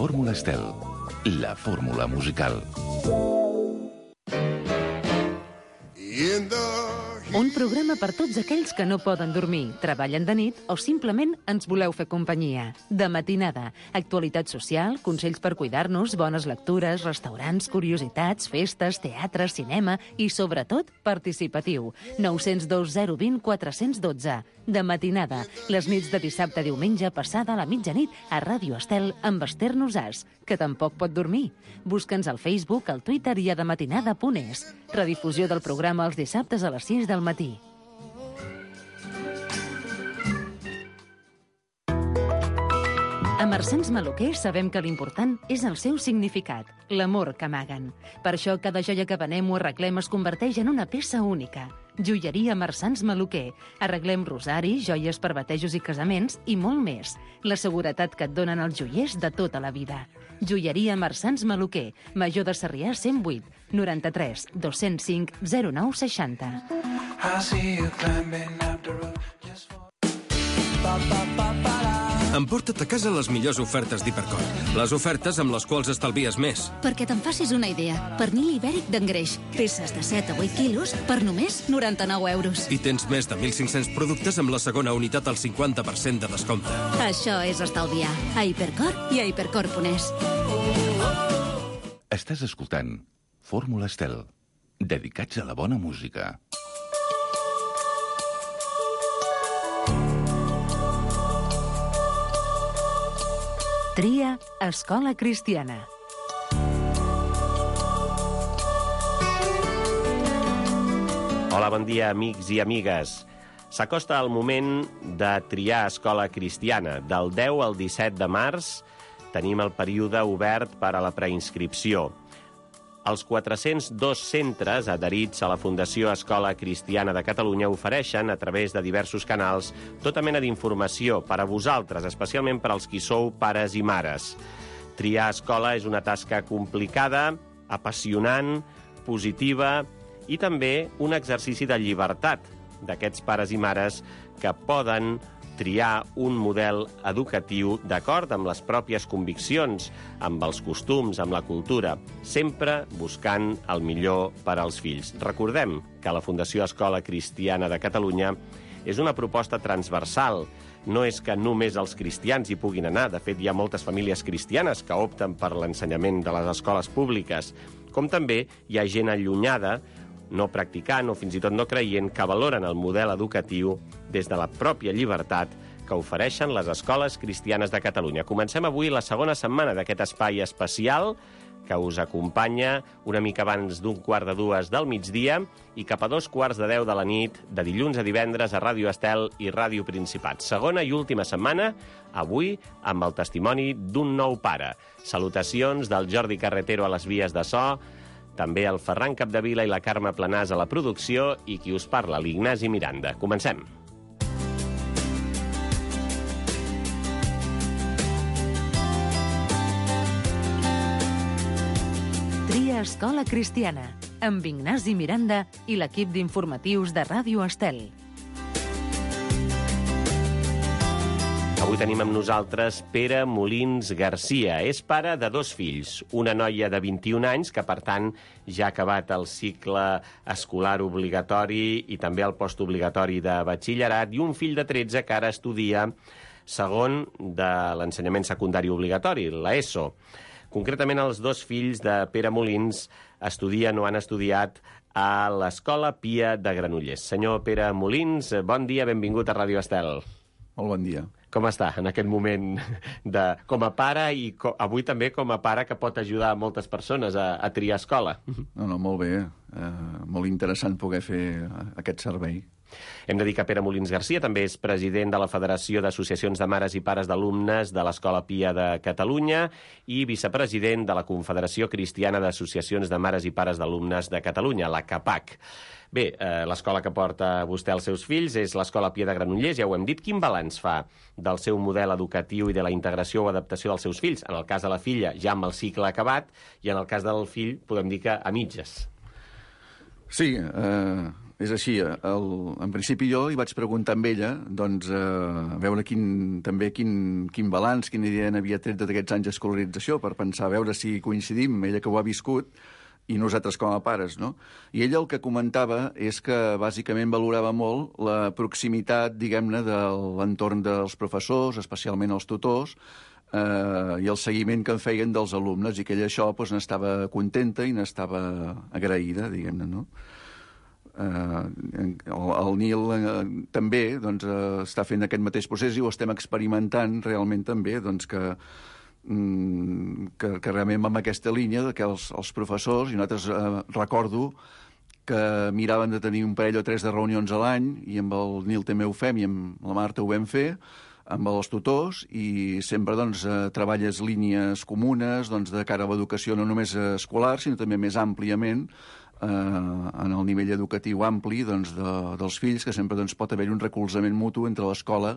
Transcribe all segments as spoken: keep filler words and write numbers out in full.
Fórmula Estel, la fórmula musical. Un programa per tots aquells que no poden dormir, treballen de nit o simplement ens voleu fer companyia. De matinada, actualitat social, consells per cuidar-nos, bones lectures, restaurants, curiositats, festes, teatre, cinema i, sobretot, participatiu. nou zero dos zero dos zero quatre un dos. De matinada, les nits de dissabte a diumenge passada a la mitjanit a Ràdio Estel amb Esther Nosàs, que tampoc pot dormir. Busca'ns al Facebook, al Twitter i a dematinada punt es. Redifusió del programa els dissabtes a les sis del matí. A Marsans Maluquer sabem que l'important és el seu significat, l'amor que amaguen. Per això cada joia que venem o arreglem es converteix en una peça única. Joieria Marsans Maluquer. Arreglem rosaris, joies per batejos i casaments i molt més. La seguretat que et donen els joiers de tota la vida. Joieria Marsans Maluquer. Major de Sarrià cent vuit, noranta-tres, dos-cents cinc, zero nou seixanta. Emporta't a casa les millors ofertes d'Hipercor. Les ofertes amb les quals estalvies més. Perquè te'n facis una idea, pernil ibèric d'engreix, peces de set a vuit quilos per només noranta-nou euros. I tens més de mil cinc-cents productes amb la segona unitat al cinquanta per cent de descompte. Això és estalviar. A Hipercor i a hipercor punt es. Estàs escoltant Fórmula Estel, dedicats a la bona música. Tria Escola Cristiana. Hola, bon dia, amics i amigues. S'acosta el moment de triar Escola Cristiana. Del deu al disset de març tenim el període obert per a la preinscripció. Els quatre-cents dos centres adherits a la Fundació Escola Cristiana de Catalunya ofereixen, a través de diversos canals, tota mena d'informació per a vosaltres, especialment per als qui sou pares i mares. Triar escola és una tasca complicada, apassionant, positiva i també un exercici de llibertat d'aquests pares i mares que poden triar un model educatiu d'acord amb les pròpies conviccions, amb els costums, amb la cultura, sempre buscant el millor per als fills. Recordem que la Fundació Escola Cristiana de Catalunya és una proposta transversal. No és que només els cristians hi puguin anar. De fet, hi ha moltes famílies cristianes que opten per l'ensenyament de les escoles públiques, com també hi ha gent allunyada, no practicant o fins i tot no creient, que valoren el model educatiu des de la pròpia llibertat que ofereixen les escoles cristianes de Catalunya. Comencem avui la segona setmana d'aquest espai especial que us acompanya una mica abans d'un quart de dues del migdia i cap a dos quarts de deu de la nit, de dilluns a divendres a Ràdio Estel i Ràdio Principat. Segona i última setmana, avui amb el testimoni d'un nou pare. Salutacions del Jordi Carretero a les vies de so, també el Ferran Capdevila i la Carme Planàs a la producció i qui us parla, l'Ignasi Miranda. Comencem. Tria Escola Cristiana, amb Ignasi Miranda i l'equip d'informatius de Ràdio Estel. Avui tenim amb nosaltres Pere Molins Garcia. És pare de dos fills, una noia de vint-i-un anys, que per tant ja ha acabat el cicle escolar obligatori i també el postobligatori de batxillerat, i un fill de tretze que ara estudia segon de l'ensenyament secundari obligatori, l'ESO. Concretament, els dos fills de Pere Molins estudien o han estudiat a l'Escola Pia de Granollers. Senyor Pere Molins, bon dia, benvingut a Ràdio Estel. Molt bon dia. Com està en aquest moment de, com a pare i co, avui també com a pare que pot ajudar a moltes persones a, a triar escola? No, no, molt bé. Eh, molt interessant poder fer aquest servei. Hem de dir que Pere Molins Garcia també és president de la Federació d'Associacions de Mares i Pares d'Alumnes de l'Escola Pia de Catalunya i vicepresident de la Confederació Cristiana d'Associacions de Mares i Pares d'Alumnes de Catalunya, la CAPAC. Bé, eh, l'escola que porta vostè als seus fills és l'Escola Pia de Granollers, ja ho hem dit. Quin balanç fa del seu model educatiu i de la integració o adaptació dels seus fills? En el cas de la filla, ja amb el cicle acabat, i en el cas del fill, podem dir que a mitges. Sí, eh, és així. El, en principi jo li vaig preguntar amb ella doncs, eh, a veure quin, també quin, quin balanç, quina idea n'havia tret d'aquests anys d'escolarització, per pensar, a veure si coincidim, ella que ho ha viscut, i nosaltres com a pares, no? I ella el que comentava és que bàsicament valorava molt la proximitat, diguem-ne, de l'entorn dels professors, especialment els tutors, eh, i el seguiment que en feien dels alumnes, i que ella això doncs, n'estava contenta i n'estava agraïda, diguem-ne, no? Uh, el, el Nil uh, també doncs, uh, està fent aquest mateix procés i ho estem experimentant realment també doncs, que, mm, que, que realment amb aquesta línia de que els, els professors, i nosaltres uh, recordo que miraven de tenir un parell o tres de reunions a l'any, i amb el Nil també ho fem i amb la Marta ho vam fer, amb els tutors, i sempre doncs, uh, treballes línies comunes doncs, de cara a l'educació no només escolar, sinó també més àmpliament Eh, en el nivell educatiu ampli doncs, de, dels fills, que sempre doncs, pot haver un recolzament mutu entre l'escola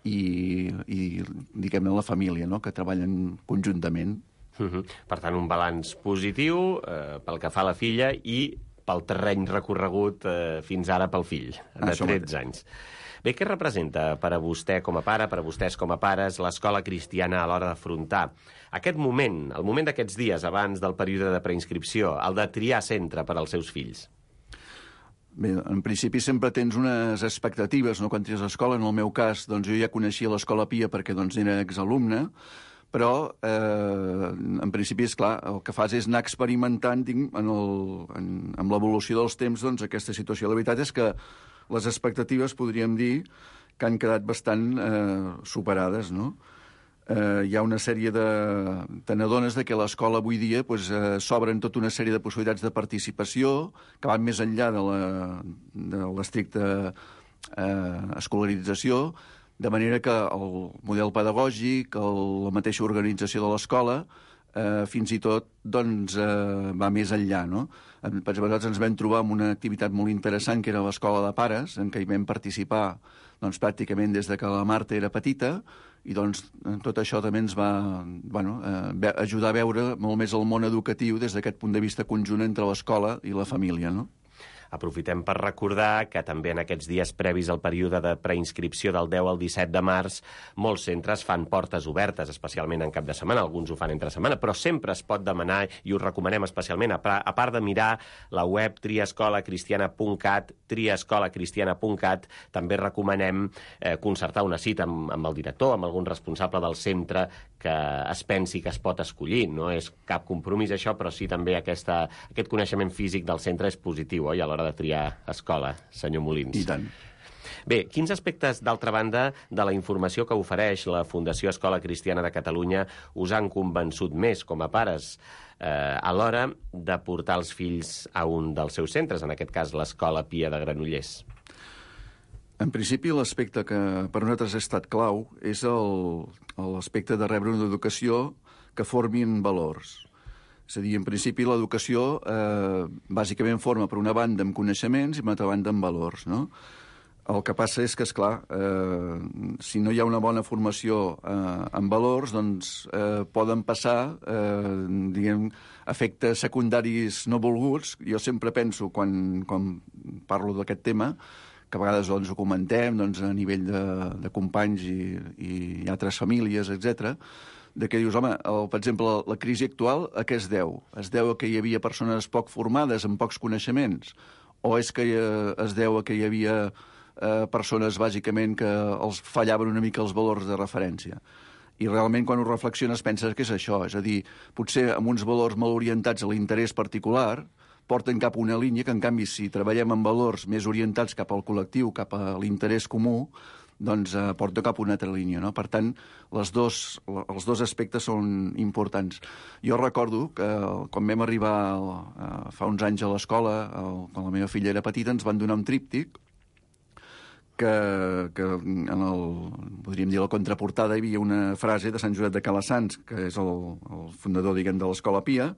i, i diguem-ne, la família, no?, que treballen conjuntament. Uh-huh. Per tant, un balanç positiu eh, pel que fa a la filla i pel terreny recorregut eh, fins ara pel fill, de tretze anys. Bé, què representa per a vostè com a pare, per a vostès com a pares, l'escola cristiana a l'hora d'afrontar aquest moment, el moment d'aquests dies abans del període de preinscripció, el de triar centre per als seus fills? Bé, en principi sempre tens unes expectatives, no?, quan tries l'escola. En el meu cas, doncs, jo ja coneixia l'Escola Pia perquè doncs, era exalumne, però eh, en principi, és clar, el que fas és anar experimentant en el, en, amb l'evolució dels temps doncs, aquesta situació. La veritat és que les expectatives, podríem dir, que han quedat bastant eh, superades, no? Eh, hi ha una sèrie de... Te n'adones que a l'escola avui dia pues, eh, s'obren tota una sèrie de possibilitats de participació que van més enllà de l'estricta eh, escolarització, de manera que el model pedagògic, el, la mateixa organització de l'escola, eh, fins i tot doncs, eh, va més enllà, no? Per exemple, nosaltres ens vam trobar amb una activitat molt interessant, que era l'escola de pares, en què hi vam participar doncs, pràcticament des de que la Marta era petita, i doncs tot això també ens va bueno, eh, ajudar a veure molt més el món educatiu des d'aquest punt de vista conjunt entre l'escola i la família, no? Aprofitem per recordar que també en aquests dies previs al període de preinscripció del deu al disset de març, molts centres fan portes obertes, especialment en cap de setmana, alguns ho fan entre setmana, però sempre es pot demanar, i ho recomanem especialment, a part de mirar la web triescolacristiana punt cat, triescolacristiana punt cat, també recomanem eh, concertar una cita amb, amb el director, amb algun responsable del centre que es pensi que es pot escollir. No és cap compromís això, però sí també aquesta, aquest coneixement físic del centre és positiu, oi, a l'hora de triar escola, senyor Molins. I tant. Bé, quins aspectes, d'altra banda, de la informació que ofereix la Fundació Escola Cristiana de Catalunya us han convençut més com a pares eh, a l'hora de portar els fills a un dels seus centres, en aquest cas l'Escola Pia de Granollers? En principi, l'aspecte que per nosaltres ha estat clau és l'aspecte de rebre una educació que formi en valors. És a dir, en principi, l'educació eh, bàsicament forma, per una banda, amb coneixements i per una altra banda, amb valors, no? El que passa és que, esclar, eh, si no hi ha una bona formació eh, en valors, doncs eh, poden passar, eh, diguem, efectes secundaris no volguts. Jo sempre penso, quan, quan parlo d'aquest tema, que a vegades doncs, ho comentem doncs, a nivell de, de companys i, i altres famílies, etcètera, de que dius, home, el, per exemple, la, la crisi actual a què es deu? Es deu a que hi havia persones poc formades, amb pocs coneixements? O és que eh, es deu a que hi havia eh, persones, bàsicament, que els fallaven una mica els valors de referència? I realment, quan ho reflexiones, penses que és això. És a dir, potser amb uns valors molt orientats a l'interès particular, porten cap a una línia que, en canvi, si treballem amb valors més orientats cap al col·lectiu, cap a l'interès comú, doncs eh, porta cap a una altra línia, no? Per tant, les dos, els dos aspectes són importants. Jo recordo que quan vam arribar eh, fa uns anys a l'escola, quan la meva filla era petita, ens van donar un tríptic que, que en el, podríem dir, la contraportada hi havia una frase de Sant Josep de Calassanç, que és el, el fundador, diguem, de l'Escola Pia,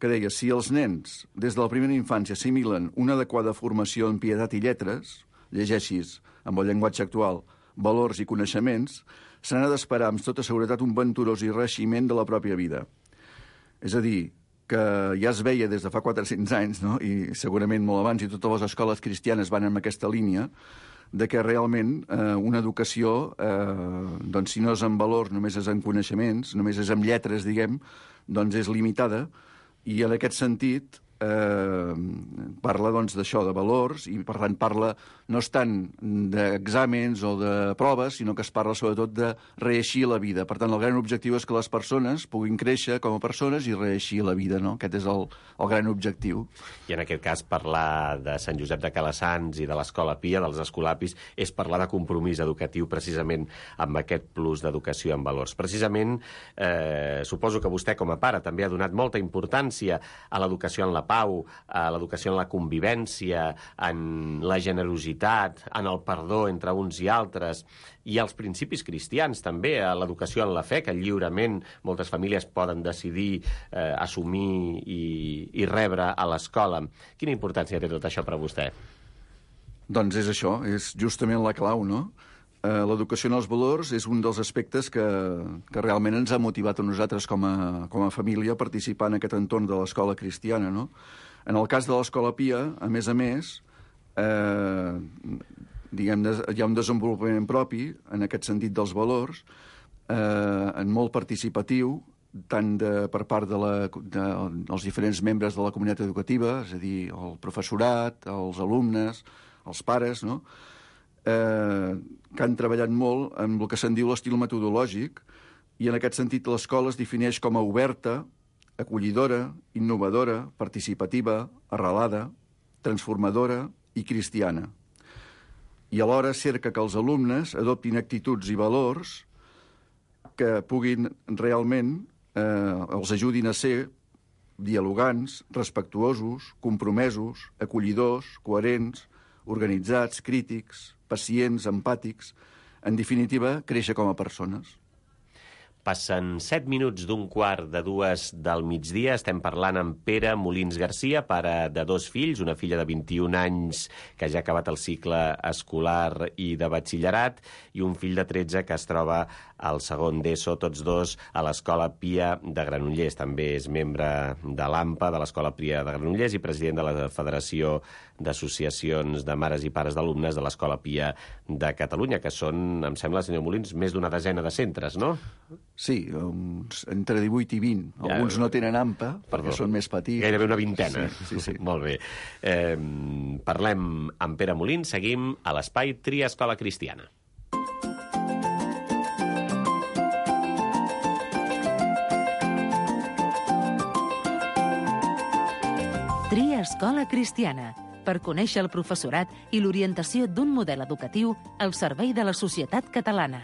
que deia, si els nens des de la primera infància assimilen una adequada formació en pietat i lletres, llegeixis amb el llenguatge actual, valors i coneixements, se n'ha d'esperar amb tota seguretat un venturós i reeiximent de la pròpia vida. És a dir, que ja es veia des de fa quatre-cents anys, no? I segurament molt abans, i totes les escoles cristianes van en aquesta línia, de que realment eh, una educació, eh, doncs si no és en valors, només és en coneixements, només és en lletres, diguem, doncs és limitada, i en aquest sentit eh, parla doncs d'això, de valors, i per tant parla no és tant d'exàmens o de proves, sinó que es parla sobretot de reeixir la vida. Per tant, el gran objectiu és que les persones puguin créixer com a persones i reeixir la vida, no? Aquest és el, el gran objectiu. I en aquest cas parlar de Sant Josep de Calassanç i de l'Escola Pia, dels escolapis, és parlar de compromís educatiu precisament amb aquest plus d'educació en valors. Precisament, eh, suposo que vostè com a pare també ha donat molta importància a l'educació en la pau, a l'educació en la convivència, en la generositat, en el perdó entre uns i altres, i als principis cristians també, a l'educació en la fe, que lliurement moltes famílies poden decidir eh, assumir i, i rebre a l'escola. Quina importància té tot això per a vostè? Doncs és això, és justament la clau, no? Eh, l'educació en els valors és un dels aspectes que, que realment ens ha motivat a nosaltres com a, com a família a participar en aquest entorn de l'escola cristiana, no? En el cas de l'Escola Pia, a més a més, eh, diguem, hi ha un desenvolupament propi en aquest sentit dels valors, eh, en molt participatiu, tant de, per part de la, de, dels diferents membres de la comunitat educativa, és a dir, el professorat, els alumnes, els pares, no? eh, que han treballat molt en el que se'n diu l'estil metodològic, i en aquest sentit l'escola es defineix com a oberta, acollidora, innovadora, participativa, arrelada, transformadora i cristiana. I alhora cerca que els alumnes adoptin actituds i valors que puguin realment, eh, els ajudin a ser dialogants, respectuosos, compromesos, acollidors, coherents, organitzats, crítics, pacients, empàtics, en definitiva, créixer com a persones. Passen set minuts d'un quart de dues del migdia. Estem parlant amb Pere Molins Garcia, pare de dos fills, una filla de vint-i-un anys que ja ha acabat el cicle escolar i de batxillerat, i un fill de tretze que es troba al segon d'ESO, tots dos a l'Escola Pia de Granollers. També és membre de l'AMPA, de l'Escola Pia de Granollers, i president de la Federació d'Associacions de Mares i Pares d'Alumnes de l'Escola Pia de Catalunya, que són, em sembla, senyor Molins, més d'una desena de centres, no? Sí, uns, entre divuit i vint. Ja, alguns no tenen AMPA, perquè perdó, són més petits. Gairebé una vintena. Sí, sí, sí. Molt bé. Eh, parlem amb Pere Molins, seguim a l'espai Tria Escola Cristiana. Tria Escola Cristiana, per conèixer el professorat i l'orientació d'un model educatiu al servei de la societat catalana.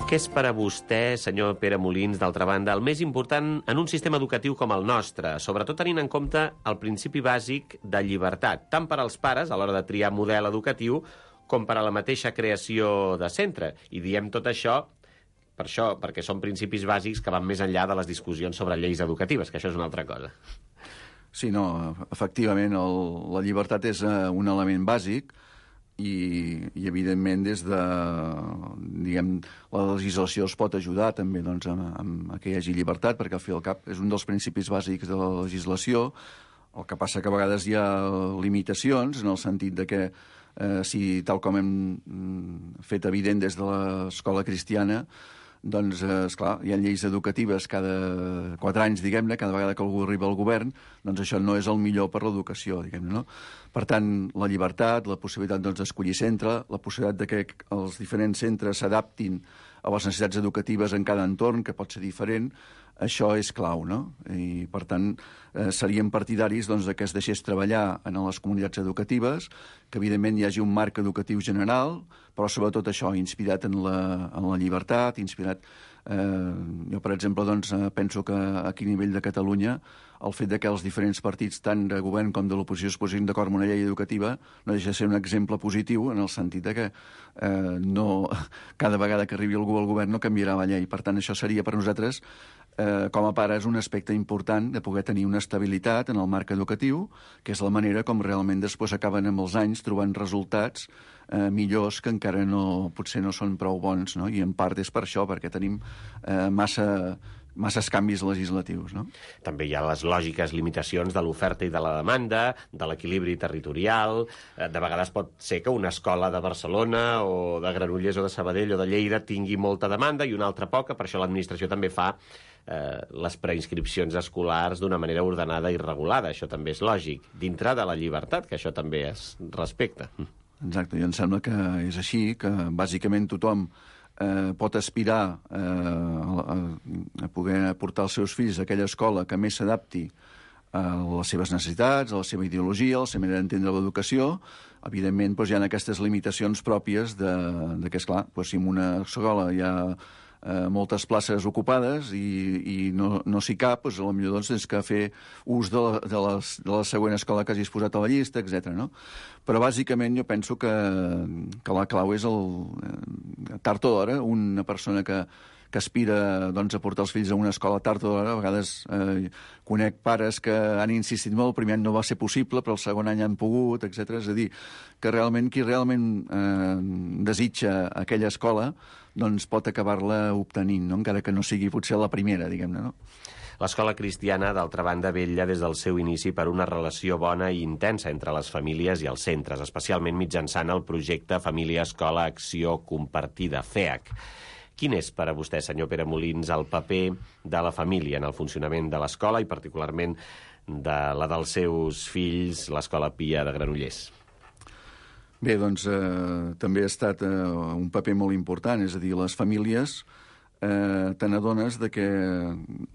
Què és per a vostè, senyor Pere Molins, d'altra banda, el més important en un sistema educatiu com el nostre, sobretot tenint en compte el principi bàsic de llibertat, tant per als pares a l'hora de triar model educatiu com per a la mateixa creació de centre? I diem tot això per això, perquè són principis bàsics que van més enllà de les discussions sobre lleis educatives, que això és una altra cosa. Sí, no, efectivament, el, la llibertat és uh, un element bàsic, i, i evidentment des de, diguem, la legislació es pot ajudar també doncs, amb, amb que hi hagi llibertat, perquè al fi i al cap és un dels principis bàsics de la legislació. El que passa que a vegades hi ha limitacions en el sentit de que eh, si tal com hem fet evident des de l'escola cristiana, doncs, eh, esclar, hi ha lleis educatives cada quatre anys, diguem-ne, cada vegada que algú arriba al govern, doncs això no és el millor per l'educació, diguem-ne, no? Per tant, la llibertat, la possibilitat doncs, d'escollir centre, la possibilitat de que els diferents centres s'adaptin a les necessitats educatives en cada entorn, que pot ser diferent, això és clau, no? I, per tant, eh, seríem partidaris doncs, que es deixés treballar en les comunitats educatives, que, evidentment, hi hagi un marc educatiu general, però, sobretot, això, inspirat en la, en la llibertat, inspirat... Eh, jo, per exemple, doncs, penso que aquí a nivell de Catalunya el fet de que els diferents partits, tant de govern com de l'oposició, es posin d'acord amb una llei educativa no deixa de ser un exemple positiu en el sentit de que eh, no, cada vegada que arribi algú al govern no canviarà la llei. Per tant, això seria per nosaltres, eh, com a pares, un aspecte important de poder tenir una estabilitat en el marc educatiu, que és la manera com realment després acaben amb els anys trobant resultats eh, millors que encara no, potser no són prou bons, no? I en part és per això, perquè tenim eh, massa... masses canvis legislatius, no? També hi ha les lògiques limitacions de l'oferta i de la demanda, de l'equilibri territorial. De vegades pot ser que una escola de Barcelona o de Granollers o de Sabadell o de Lleida tingui molta demanda i una altra poca, per això l'administració també fa eh, les preinscripcions escolars d'una manera ordenada i regulada. Això també és lògic, dintre de la llibertat, que això també es respecta. Exacte, i em sembla que és així, que bàsicament tothom Eh, pot aspirar eh, a, a poder portar els seus fills a aquella escola que més s'adapti a les seves necessitats, a la seva ideologia, a la seva manera d'entendre l'educació. Evidentment, doncs, hi ha aquestes limitacions pròpies de, de que, esclar, doncs, si en una escola hi ha eh, moltes places ocupades i, i no, no s'hi cap, doncs, potser doncs, tens que fer ús de la, de, les, de la següent escola que hagis posat a la llista, etcètera. No? Però, bàsicament, jo penso que, que la clau és, el, tard o d'hora, una persona que, que aspira doncs, a portar els fills a una escola tard o d'hora. A vegades eh, conec pares que han insistit molt, el primer any no va ser possible, però el segon any han pogut, etcètera. És a dir, que realment qui realment eh, desitja aquella escola doncs pot acabar-la obtenint, no? Encara que no sigui potser la primera, diguem-ne, no? L'escola cristiana, d'altra banda, vetlla des del seu inici per una relació bona i intensa entre les famílies i els centres, especialment mitjançant el projecte Família Escola Acció Compartida, F E A C. Quin és per a vostè, senyor Pere Molins, el paper de la família en el funcionament de l'escola i particularment de la dels seus fills, l'Escola Pia de Granollers? Bé, doncs eh, també ha estat eh, un paper molt important, és a dir, les famílies eh, te n'adones de que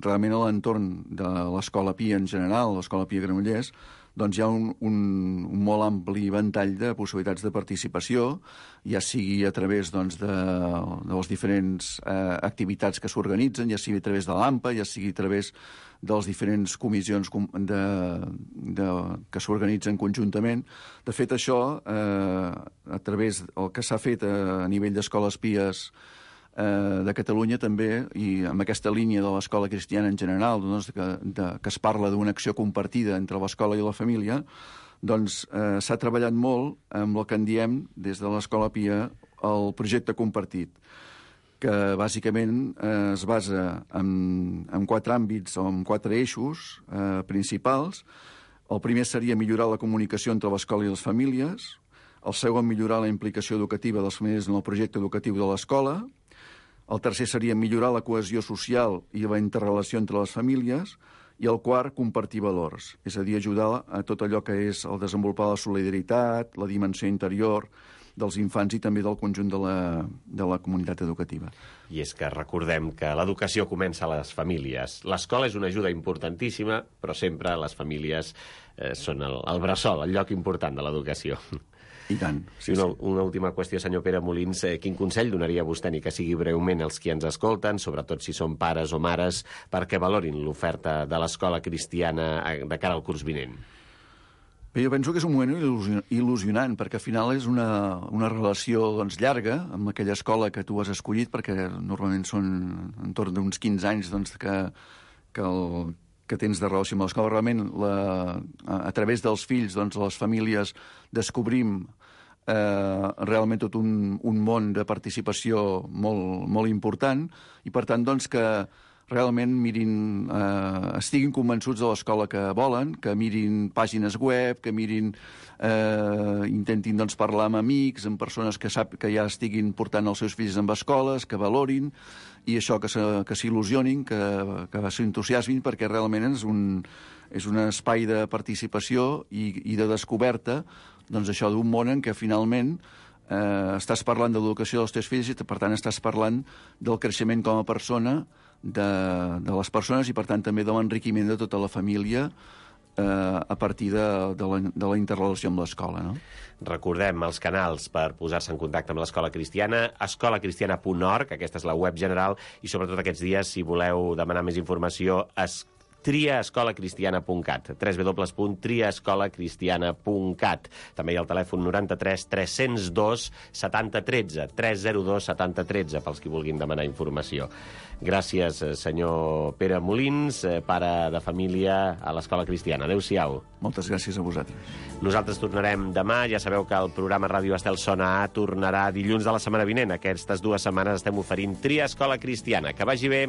realment a l'entorn de l'Escola Pia en general, l'Escola Pia Granollers, doncs hi ha un, un, un molt ampli ventall de possibilitats de participació, ja sigui a través doncs, de, de les diferents eh, activitats que s'organitzen, ja sigui a través de l'AMPA, ja sigui a través de les diferents comissions de, de, que s'organitzen conjuntament. De fet, això, eh, a través del que s'ha fet a, a nivell d'escoles pies eh, de Catalunya també, i amb aquesta línia de l'escola cristiana en general, doncs, que, de, que es parla d'una acció compartida entre l'escola i la família, doncs eh, s'ha treballat molt amb el que en diem des de l'Escola Pia el projecte compartit, que bàsicament eh, es basa en, en quatre àmbits o en quatre eixos eh, principals. El primer seria millorar la comunicació entre l'escola i les famílies. El segon, millorar la implicació educativa de les famílies en el projecte educatiu de l'escola. El tercer seria millorar la cohesió social i la interrelació entre les famílies. I el quart, compartir valors, és a dir, ajudar a tot allò que és el desenvolupar la solidaritat, la dimensió interior dels infants i també del conjunt de la, de la comunitat educativa. I és que recordem que l'educació comença a les famílies. L'escola és una ajuda importantíssima, però sempre les famílies eh, són el, el bressol, el lloc important de l'educació. I tant. Sí, I una, sí. una última qüestió, senyor Pere Molins. Eh, quin consell donaria vostè, ni que sigui breument, als qui ens escolten, sobretot si són pares o mares, perquè valorin l'oferta de l'escola cristiana de cara al curs vinent? Bé, jo penso que és un moment il·lusionant, perquè al final és una, una relació doncs, llarga amb aquella escola que tu has escollit, perquè normalment són entorn d'uns quinze anys doncs, que, que, el, que tens de relació amb l'escola. Realment, la, a, a través dels fills, doncs, les famílies, descobrim eh, realment tot un, un món de participació molt, molt important, i per tant, doncs, que realment mirin, eh, estiguin convençuts de l'escola que volen, que mirin pàgines web, que mirin, eh, intentin doncs, parlar amb amics, amb persones que, sap, que ja estiguin portant els seus fills amb escoles, que valorin, i això, que s'il·lusionin, que, que s'entusiasmin, perquè realment és un, és un espai de participació i, i de descoberta, doncs això, d'un món en què finalment eh, estàs parlant de l'educació dels teus fills i, per tant, estàs parlant del creixement com a persona de, de les persones i, per tant, també de l'enriquiment de tota la família eh, a partir de, de, la, de la interrelació amb l'escola, no? Recordem els canals per posar-se en contacte amb l'Escola Cristiana, escola cristiana punt org, aquesta és la web general, i sobretot aquests dies, si voleu demanar més informació, es tria escola cristiana punt cat, w w w punt tria escola cristiana punt cat. També hi ha el telèfon noranta-tres tres zero dos setanta tretze, tres zero dos setanta tretze, pels qui vulguin demanar informació. Gràcies, senyor Pere Molins, pare de família a l'Escola Cristiana. Adéu-siau. Moltes gràcies a vosaltres. Nosaltres tornarem demà. Ja sabeu que el programa Ràdio Estel Sona A tornarà dilluns de la setmana vinent. Aquestes dues setmanes estem oferint Tria Escola Cristiana. Que vagi bé.